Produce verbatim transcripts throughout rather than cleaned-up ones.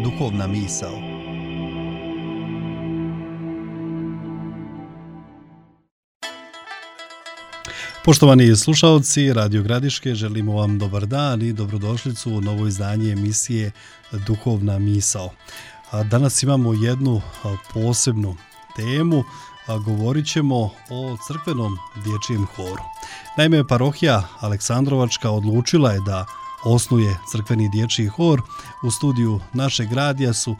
duhovna misao. Poštovani slušalci Radio Gradiške, želimo vam dobar dan i dobrodošlicu u novo izdanje emisije Duhovna misao. Danas imamo jednu posebnu temu, govorit ćemo o crkvenom dječjem horu. Naime, parohija Aleksandrovačka odlučila je da osnuje crkveni dječji hor. U studiju našeg radija su,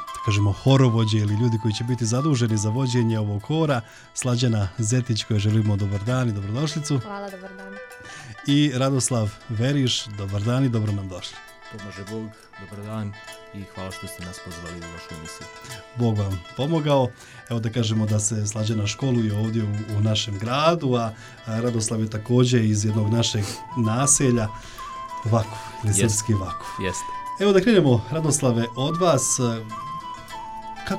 da kažemo, horovođe ili ljudi koji će biti zaduženi za vođenje ovog hora. Slađana Zetić, kojoj želimo dobar dan i dobrodošlicu. Hvala, dobar dan. I Radoslav Veriš, dobar dan i dobro nam došli. Pomaže Bog, dobar dan i hvala što ste nas pozvali u vašu emisiju. Bog vam pomogao. Evo da kažemo da se Slađana školuje ovdje u, u našem gradu, a Radoslav je također iz jednog našeg naselja, Vakuf, ili srpski Vakuf. Jeste. Evo da krenemo, Radoslave, od vas. Ka,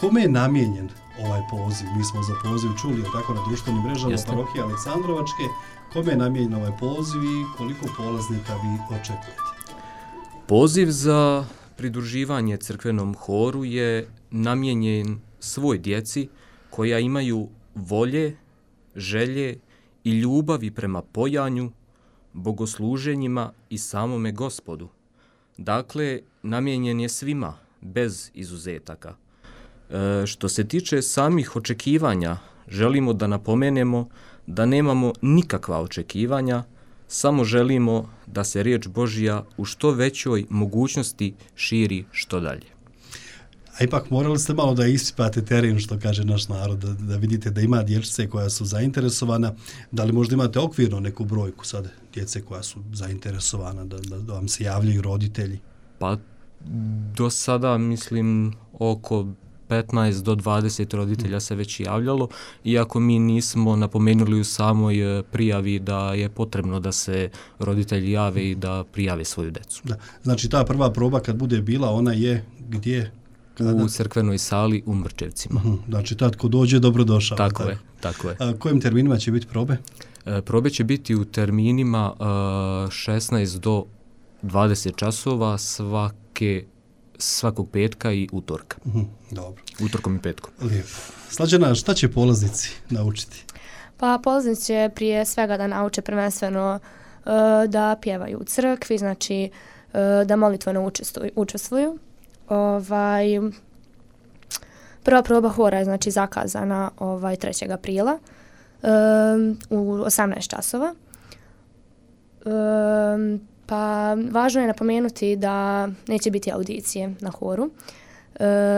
kome je namijenjen ovaj poziv? Mi smo za poziv čuli tako na društvenim mrežama Jeste. parohije Aleksandrovačke. Kome je namijenjen ovaj poziv i koliko polaznika vi očekujete? Poziv za pridruživanje crkvenom horu je namijenjen svoj djeci koja imaju volje, želje i ljubavi prema pojanju, bogosluženjima i samome Gospodu. Dakle, namijenjen je svima, bez izuzetaka. E, što se tiče samih očekivanja, želimo da napomenemo da nemamo nikakva očekivanja, samo želimo da se riječ Božja u što većoj mogućnosti širi što dalje. A ipak morali ste malo da isipate teren, što kaže naš narod, da, da vidite da ima dječice koja su zainteresovana. Da li možda imate okvirno neku brojku sad djece koja su zainteresovana, da, da, da vam se javljaju roditelji? Pa do sada mislim oko petnaest do dvadeset roditelja se već javljalo, iako mi nismo napomenuli u samoj prijavi da je potrebno da se roditelji jave i da prijave svoju decu. Da. Znači ta prva proba kad bude bila, ona je gdje? Kada? U crkvenoj sali u Mrčevcima. Uh-huh. Znači tad ko dođe, dobrodošao. Tako, tako je, tako je. A kojim terminima će biti probe? E, probe će biti u terminima uh, šesnaest do dvadeset časova svake svakog petka i utorka. Uh-huh. Dobro. Utorkom i petkom. Lijepo. Slađana, šta će polaznici naučiti? Pa polaznici će prije svega da nauče prvenstveno uh, da pjevaju u crkvi, znači uh, da molitveno učestvuju. učestvuju. Ovaj, prva proba hora je znači zakazana ovaj trećeg aprila um, u osamnaest časova. Um, pa važno je napomenuti da neće biti audicije na horu, uh,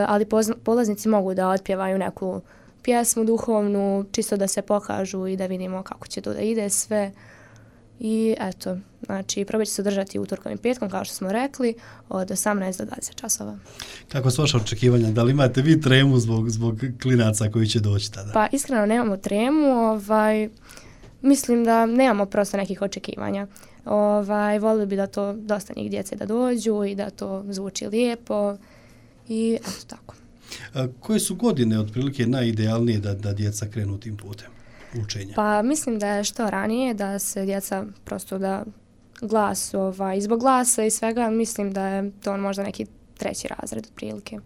ali poz, polaznici mogu da otpjevaju neku pjesmu duhovnu, čisto da se pokažu i da vidimo kako će to da ide sve. I eto, znači proba će se održati utorkom i petkom, kao što smo rekli, od osamnaest do dvadeset časova. Kako su vaše očekivanja? Da li imate vi tremu zbog, zbog klinaca koji će doći tada? Pa iskreno nemamo tremu, ovaj, mislim da nemamo prosto nekih očekivanja. Ovaj, volili bi da to dosta njih djece da dođu i da to zvuči lijepo i eto tako. A koje su godine otprilike najidealnije da, da djeca krenu tim putem učenja? Pa mislim da je što ranije, da se djeca prosto da glas, ovaj, zbog glasa i svega, mislim da je to možda neki treći razred otprilike.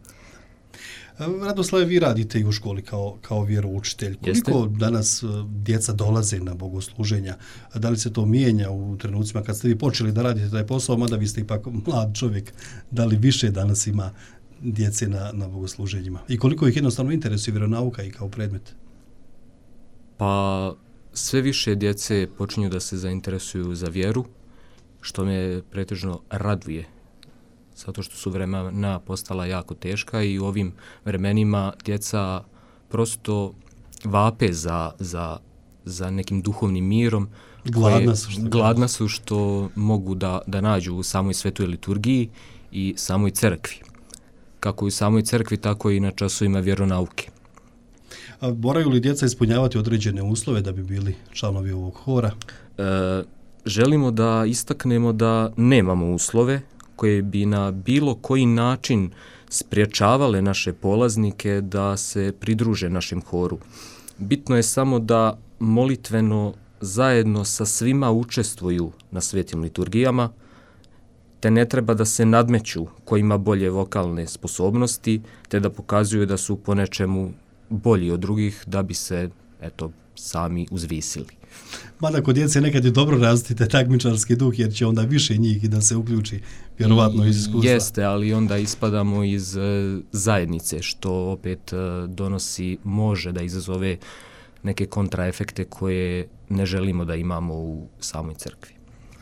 Radoslave, vi radite i u školi kao, kao vjeroučitelj. Koliko Jeste? danas djeca dolaze na bogosluženja? Da li se to mijenja u trenucima kad ste vi počeli da radite taj posao, mada vi ste ipak mlad čovjek, da li više danas ima djece na, na bogosluženjima? I koliko ih jednostavno interesuje vjeronauka i kao predmet? Pa sve više djece počinju da se zainteresuju za vjeru, što me pretežno raduje. Zato što su vremena postala jako teška i u ovim vremenima djeca prosto vape za, za, za nekim duhovnim mirom. Gladna su što, gladna su što mogu da, da nađu u samoj svetoj liturgiji i samoj crkvi. Kako i u samoj crkvi, tako i na časovima vjeronauke. A moraju li djeca ispunjavati određene uslove da bi bili članovi ovog hora? E, želimo da istaknemo da nemamo uslove koje bi na bilo koji način spriječavale naše polaznike da se pridruže našem horu. Bitno je samo da molitveno zajedno sa svima učestvuju na svetim liturgijama, te ne treba da se nadmeću ko ima bolje vokalne sposobnosti, te da pokazuju da su po nečemu bolji od drugih da bi se, eto, sami uzvisili. Mada kod djece nekad je dobro razviti takmičarski duh, jer će onda više njih i da se uključi, vjerovatno iz iskustva. Jeste, ali onda ispadamo iz uh, zajednice, što opet uh, donosi, može da izazove neke kontraefekte koje ne želimo da imamo u samoj crkvi.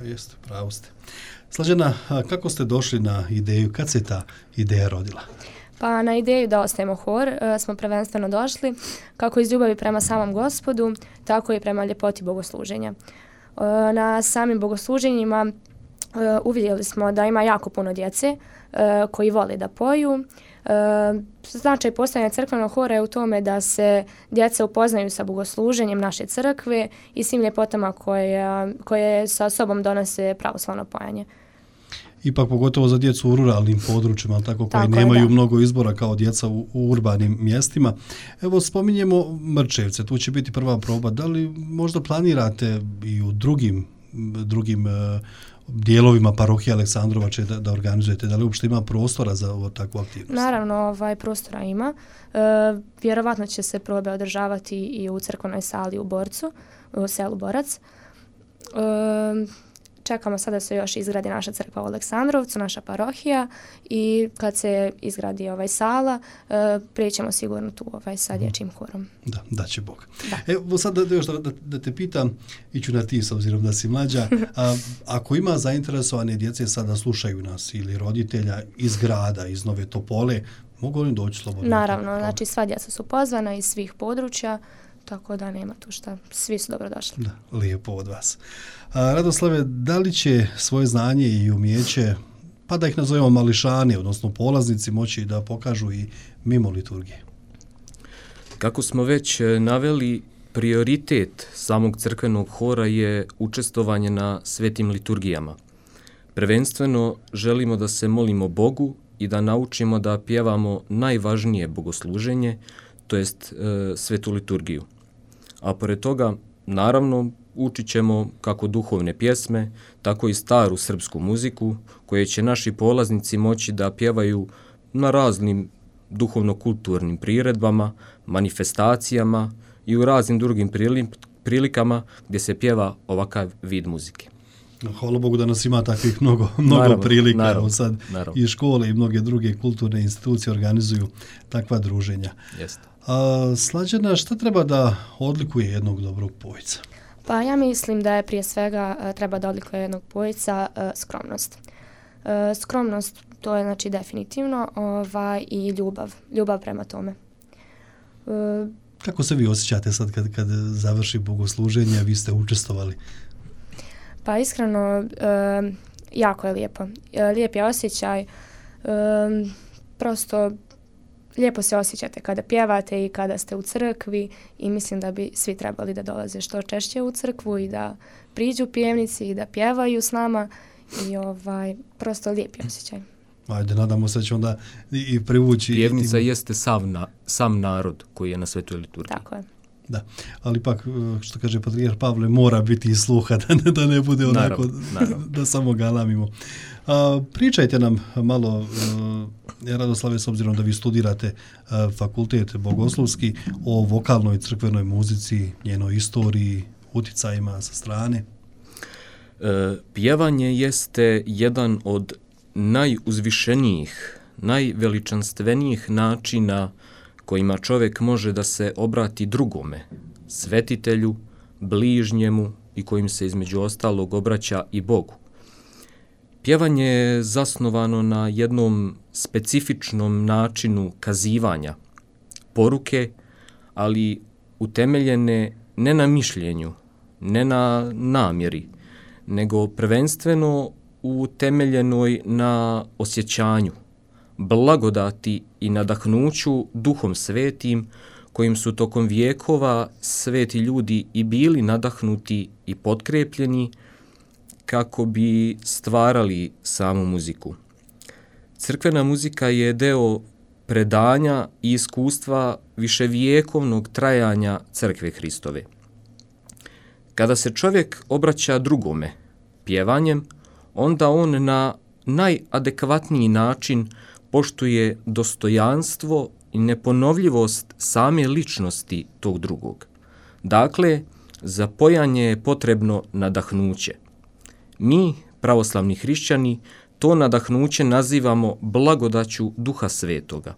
Jeste, pravo ste. Slađana, kako ste došli na ideju, kad se ta ideja rodila? Pa na ideju da ostajemo hor uh, smo prvenstveno došli kako iz ljubavi prema samom Gospodu, tako i prema ljepoti bogosluženja. Uh, na samim bogosluženjima uh, uvidjeli smo da ima jako puno djece uh, koji vole da poju. Uh, značaj postojanja crkvenog hora je u tome da se djeca upoznaju sa bogosluženjem naše crkve i svim ljepotama koje, koje sa sobom donose pravoslavno pojanje. Ipak pogotovo za djecu u ruralnim područjima, tako koji tako nemaju je, mnogo izbora kao djeca u, u urbanim mjestima. Evo, spominjemo Mrčevce, tu će biti prva proba. Da li možda planirate i u drugim, drugim uh, dijelovima parohije Aleksandrovače da, da organizujete? Da li uopšte ima prostora za ovo takvu aktivnost? Naravno, ovaj, prostora ima. E, vjerovatno će se probe održavati i u crkvenoj sali u Borcu, u selu Borac. E, Čekamo sada da se još izgradi naša crkva u Aleksandrovcu, naša parohija, i kad se izgradi ovaj sala, uh, prijećemo sigurno tu ovaj sa dječjim horom. Da, da će Bog. Da. Evo sad da, još da, da, da te pitam, iću na ti s obzirom da si mlađa, a, ako ima zainteresovane djece sada slušaju nas ili roditelja iz grada, iz Nove Topole, mogu li doći slobodno? Naravno, znači sva djeca su pozvana iz svih područja, tako da nema tu šta, svi su dobrodošli. Da, lijepo od vas. A, Radoslave, da li će svoje znanje i umjeće, pa da ih nazovemo mališani, odnosno polaznici, moći da pokažu i mimo liturgije? Kako smo već naveli, prioritet samog crkvenog hora je učestvovanje na svetim liturgijama. Prvenstveno želimo da se molimo Bogu i da naučimo da pjevamo najvažnije bogosluženje, to jest e, svetu liturgiju. A pored toga, naravno, učit ćemo kako duhovne pjesme, tako i staru srpsku muziku, koje će naši polaznici moći da pjevaju na raznim duhovno-kulturnim priredbama, manifestacijama i u raznim drugim prilikama gdje se pjeva ovakav vid muzike. Hvala Bogu da nas ima takvih mnogo, mnogo naravno, prilika. Naravno, sad naravno. I škole i mnoge druge kulturne institucije organizuju takva druženja. Jeste. A, Slađana, šta treba da odlikuje jednog dobrog pojca? Pa ja mislim da je prije svega treba da odlikuje jednog pojca uh, skromnost. Uh, skromnost, to je znači definitivno, ovaj, i ljubav, ljubav prema tome. Uh, Kako se vi osjećate sad kad, kad završi bogosluženje, vi ste učestvovali? Pa iskreno, uh, jako je lijepo. Uh, lijep je osjećaj, uh, prosto lijepo se osjećate kada pjevate i kada ste u crkvi i mislim da bi svi trebali da dolaze što češće u crkvu i da priđu pjevnici i da pjevaju s nama i ovaj, prosto lijep je osjećaj. Ajde, nadamo se da će onda i privući... Pjevnica i... jeste sam, na, sam narod koji je na svetoj liturgiji. Tako je. Da, ali pak, što kaže patrijarh Pavle, mora biti i sluha, da ne, da ne bude onako, naravno, naravno. Da samo galamimo. A, pričajte nam malo, ja Radoslave, s obzirom da vi studirate a, fakultet bogoslovski, o vokalnoj crkvenoj muzici, njenoj istoriji, uticajima sa strane. E, pjevanje jeste jedan od najuzvišenijih, najveličanstvenijih načina kojima čovjek može da se obrati drugome, svetitelju, bližnjemu i kojim se između ostalog obraća i Bogu. Pjevanje je zasnovano na jednom specifičnom načinu kazivanja, poruke, ali utemeljene ne na mišljenju, ne na namjeri, nego prvenstveno utemeljenoj na osjećanju, blagodati i nadahnuću Duhom Svetim, kojim su tokom vijekova sveti ljudi i bili nadahnuti i potkrepljeni kako bi stvarali samu muziku. Crkvena muzika je deo predanja i iskustva viševijekovnog trajanja Crkve Hristove. Kada se čovjek obraća drugome pjevanjem, onda on na najadekvatniji način poštuje dostojanstvo i neponovljivost same ličnosti tog drugog. Dakle, za pojanje je potrebno nadahnuće. Mi, pravoslavni hrišćani, to nadahnuće nazivamo blagodaću Duha Svetoga.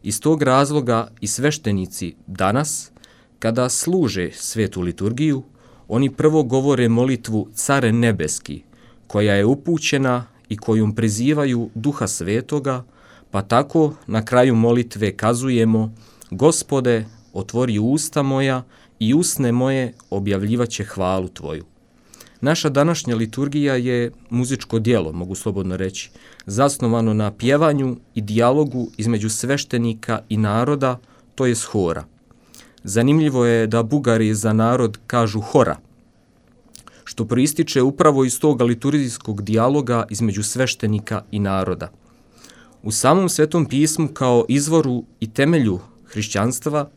Iz tog razloga i sveštenici danas, kada služe svetu liturgiju, oni prvo govore molitvu Care nebeski, koja je upućena i kojom prizivaju Duha Svetoga, pa tako na kraju molitve kazujemo: Gospode, otvori usta moja i usne moje objavljivaće hvalu Tvoju. Naša današnja liturgija je muzičko djelo, mogu slobodno reći, zasnovano na pjevanju i dijalogu između sveštenika i naroda, to je hora. Zanimljivo je da Bugari za narod kažu hora, što proističe upravo iz toga liturgijskog dijaloga između sveštenika i naroda. U samom Svetom pismu kao izvoru i temelju hrišćanstva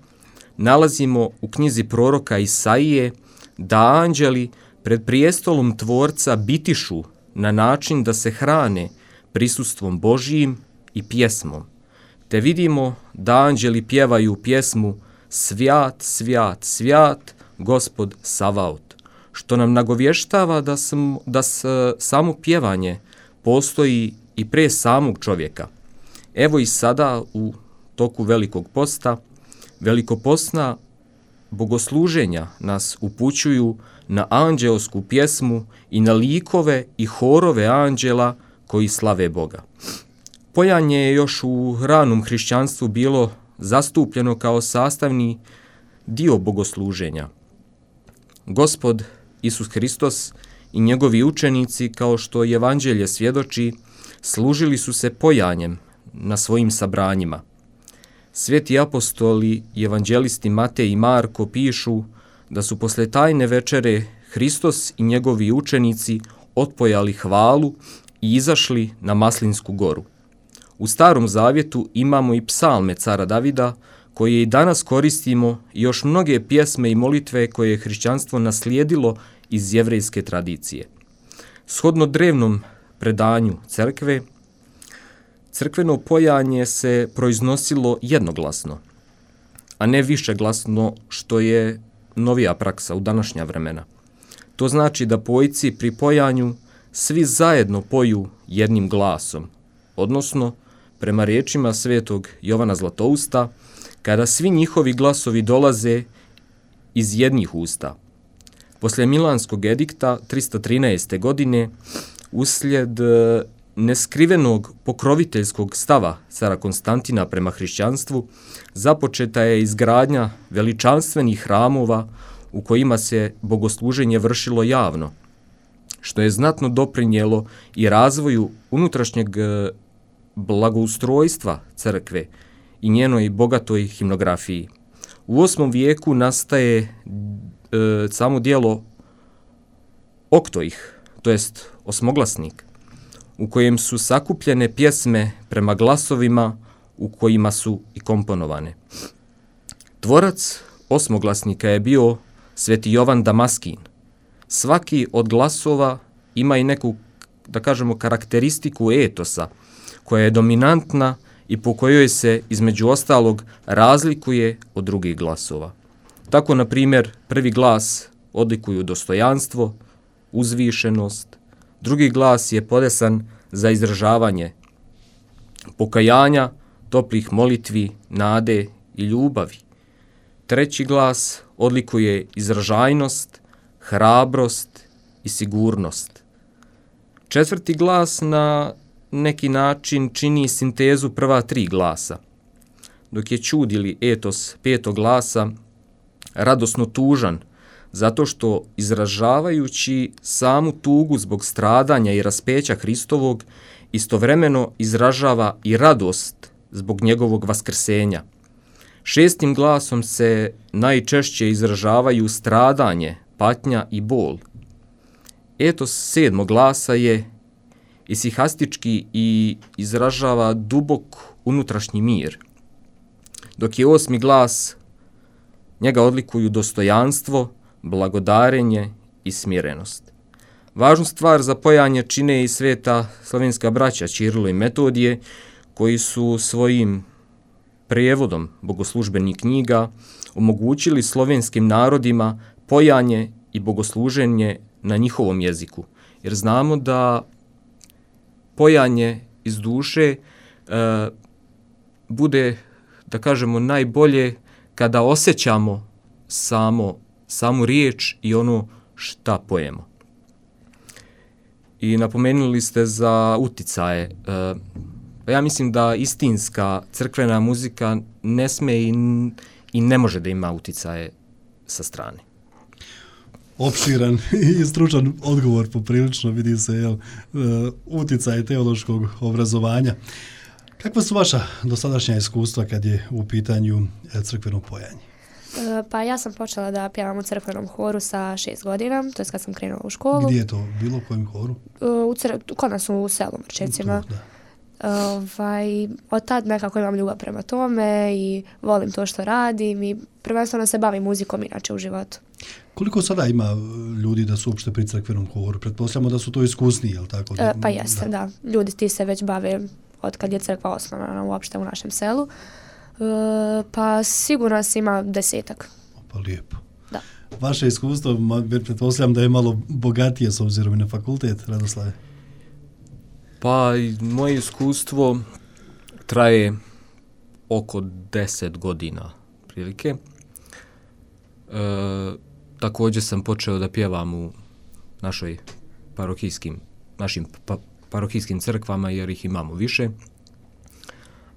nalazimo u knjizi proroka Isaije da anđeli pred prijestolom Tvorca bitišu na način da se hrane prisustvom Božijim i pjesmom, te vidimo da anđeli pjevaju pjesmu Svjat, svjat, svjat, Gospod Savaot, što nam nagovještava da, sam, da s, samo pjevanje postoji i pre samog čovjeka. Evo i sada u toku Velikog posta, velikopostna bogosluženja nas upućuju na anđeosku pjesmu i na likove i horove anđela koji slave Boga. Pojanje je još u ranom hrišćanstvu bilo zastupljeno kao sastavni dio bogosluženja. Gospod Isus Hristos i njegovi učenici, kao što evanđelje svjedoči, služili su se pojanjem na svojim sabranjima. Sveti apostoli i evanđelisti Matej i Marko pišu da su posle tajne večere Hristos i njegovi učenici otpojali hvalu i izašli na Maslinsku goru. U Starom Zavjetu imamo i psalme cara Davida, koje i danas koristimo, i još mnoge pjesme i molitve koje je hrišćanstvo naslijedilo iz jevrejske tradicije. Shodno drevnom predanju crkve, crkveno pojanje se proiznosilo jednoglasno, a ne višeglasno, što je novija praksa u današnja vremena. To znači da pojci pri pojanju svi zajedno poju jednim glasom, odnosno, prema riječima svetog Jovana Zlatousta, kada svi njihovi glasovi dolaze iz jednih usta. Posle Milanskog edikta tristo trinaeste. godine, uslijed neskrivenog pokroviteljskog stava cara Konstantina prema hrišćanstvu, započeta je izgradnja veličanstvenih hramova u kojima se bogosluženje vršilo javno, što je znatno doprinijelo i razvoju unutrašnjeg blagoustrojstva crkve i njenoj bogatoj himnografiji. U osmom vijeku nastaje e, samo dijelo oktoih, to jest osmoglasnik, u kojem su sakupljene pjesme prema glasovima u kojima su i komponovane. Tvorac osmoglasnika je bio sveti Jovan Damaskin. Svaki od glasova ima i neku, da kažemo, karakteristiku etosa, koja je dominantna i po kojoj se, između ostalog, razlikuje od drugih glasova. Tako, na primjer, prvi glas odlikuju dostojanstvo, uzvišenost, drugi glas je podesan za izražavanje pokajanja, toplih molitvi, nade i ljubavi. Treći glas odlikuje izražajnost, hrabrost i sigurnost. Četvrti glas na neki način čini sintezu prva tri glasa, dok je čud ili etos petog glasa radosno tužan, zato što izražavajući samu tugu zbog stradanja i raspeća Hristovog, istovremeno izražava i radost zbog njegovog vaskrsenja. Šestim glasom se najčešće izražavaju stradanje, patnja i bol. Etos sedmog glasa je isihastički i izražava dubok unutrašnji mir, dok je osmi glas, njega odlikuju dostojanstvo, blagodarenje i smirenost. Važnu stvar za pojanje čine i sveta slovenska braća Ćirilo i Metodije, koji su svojim prijevodom bogoslužbenih knjiga omogućili slovenskim narodima pojanje i bogosluženje na njihovom jeziku. Jer znamo da pojanje iz duše e, bude, da kažemo, najbolje kada osjećamo samo, samu riječ i ono šta pojemo. I napomenuli ste za uticaje. E, ja mislim da istinska crkvena muzika ne sme i, i ne može da ima uticaje sa strane. Opširan i stručan odgovor, poprilično vidi se, jel, uticaj teološkog obrazovanja. Kakva su vaša dosadašnja iskustva kad je u pitanju crkveno pojanje? Pa ja sam počela da pjevam u crkvenom horu sa šest godina, to je kad sam krenula u školu. Gdje je to bilo, u kojem horu? U cr- kod nas u selu Mrčecima. Tu, ovaj, od tad nekako imam ljubav prema tome i volim to što radim i prvenstveno se bavim muzikom inače u životu. Koliko sada ima ljudi da su uopšte pri crkvenom horu? Pretpostavljamo da su to iskusniji, je li tako? E, pa jeste, da. da. Ljudi ti se već bave od kad je crkva osnovana uopšte u našem selu. E, pa sigurno se ima desetak. Pa lijepo. Da. Vaše iskustvo, pretpostavljam da je malo bogatije s obzirom i na fakultet, Radoslave? Pa moje iskustvo traje oko deset godina prilike. E, također sam počeo da pjevam u našoj parohijskim, našim pa, parohijskim crkvama jer ih imamo više.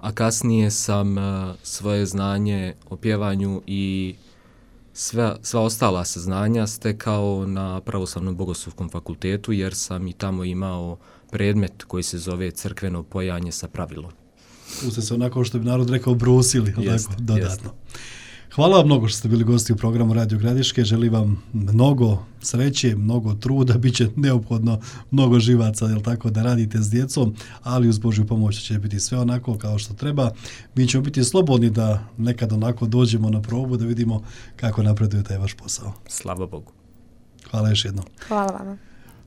A kasnije sam e, svoje znanje o pjevanju i sve, sva ostala saznanja stekao na Pravoslavnom bogoslovskom fakultetu jer sam i tamo imao predmet koji se zove crkveno pojanje sa pravilom. Tu ste se onako što bi narod rekao brusili, jest, tako, dodatno. Jest. Hvala vam mnogo što ste bili gosti u programu Radio Gradiške. Želim vam mnogo sreće, mnogo truda, bit će neophodno mnogo živaca, jel tako, da radite s djecom, ali uz Božju pomoć će biti sve onako kao što treba. Mi ćemo biti slobodni da nekad onako dođemo na probu da vidimo kako napreduje taj vaš posao. Slava Bogu. Hvala još jednom. Hvala vama.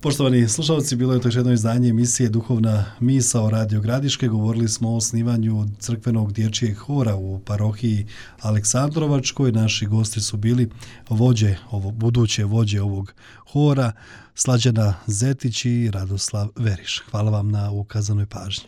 Poštovani slušalci, bilo je to još jedno izdanje emisije Duhovna misao Radio Gradiške. Govorili smo o osnivanju crkvenog dječjeg hora u parohiji Aleksandrovačkoj. Naši gosti su bili vođe, ovo, buduće vođe ovog hora, Slađana Zetić i Radoslav Veriš. Hvala vam na ukazanoj pažnji.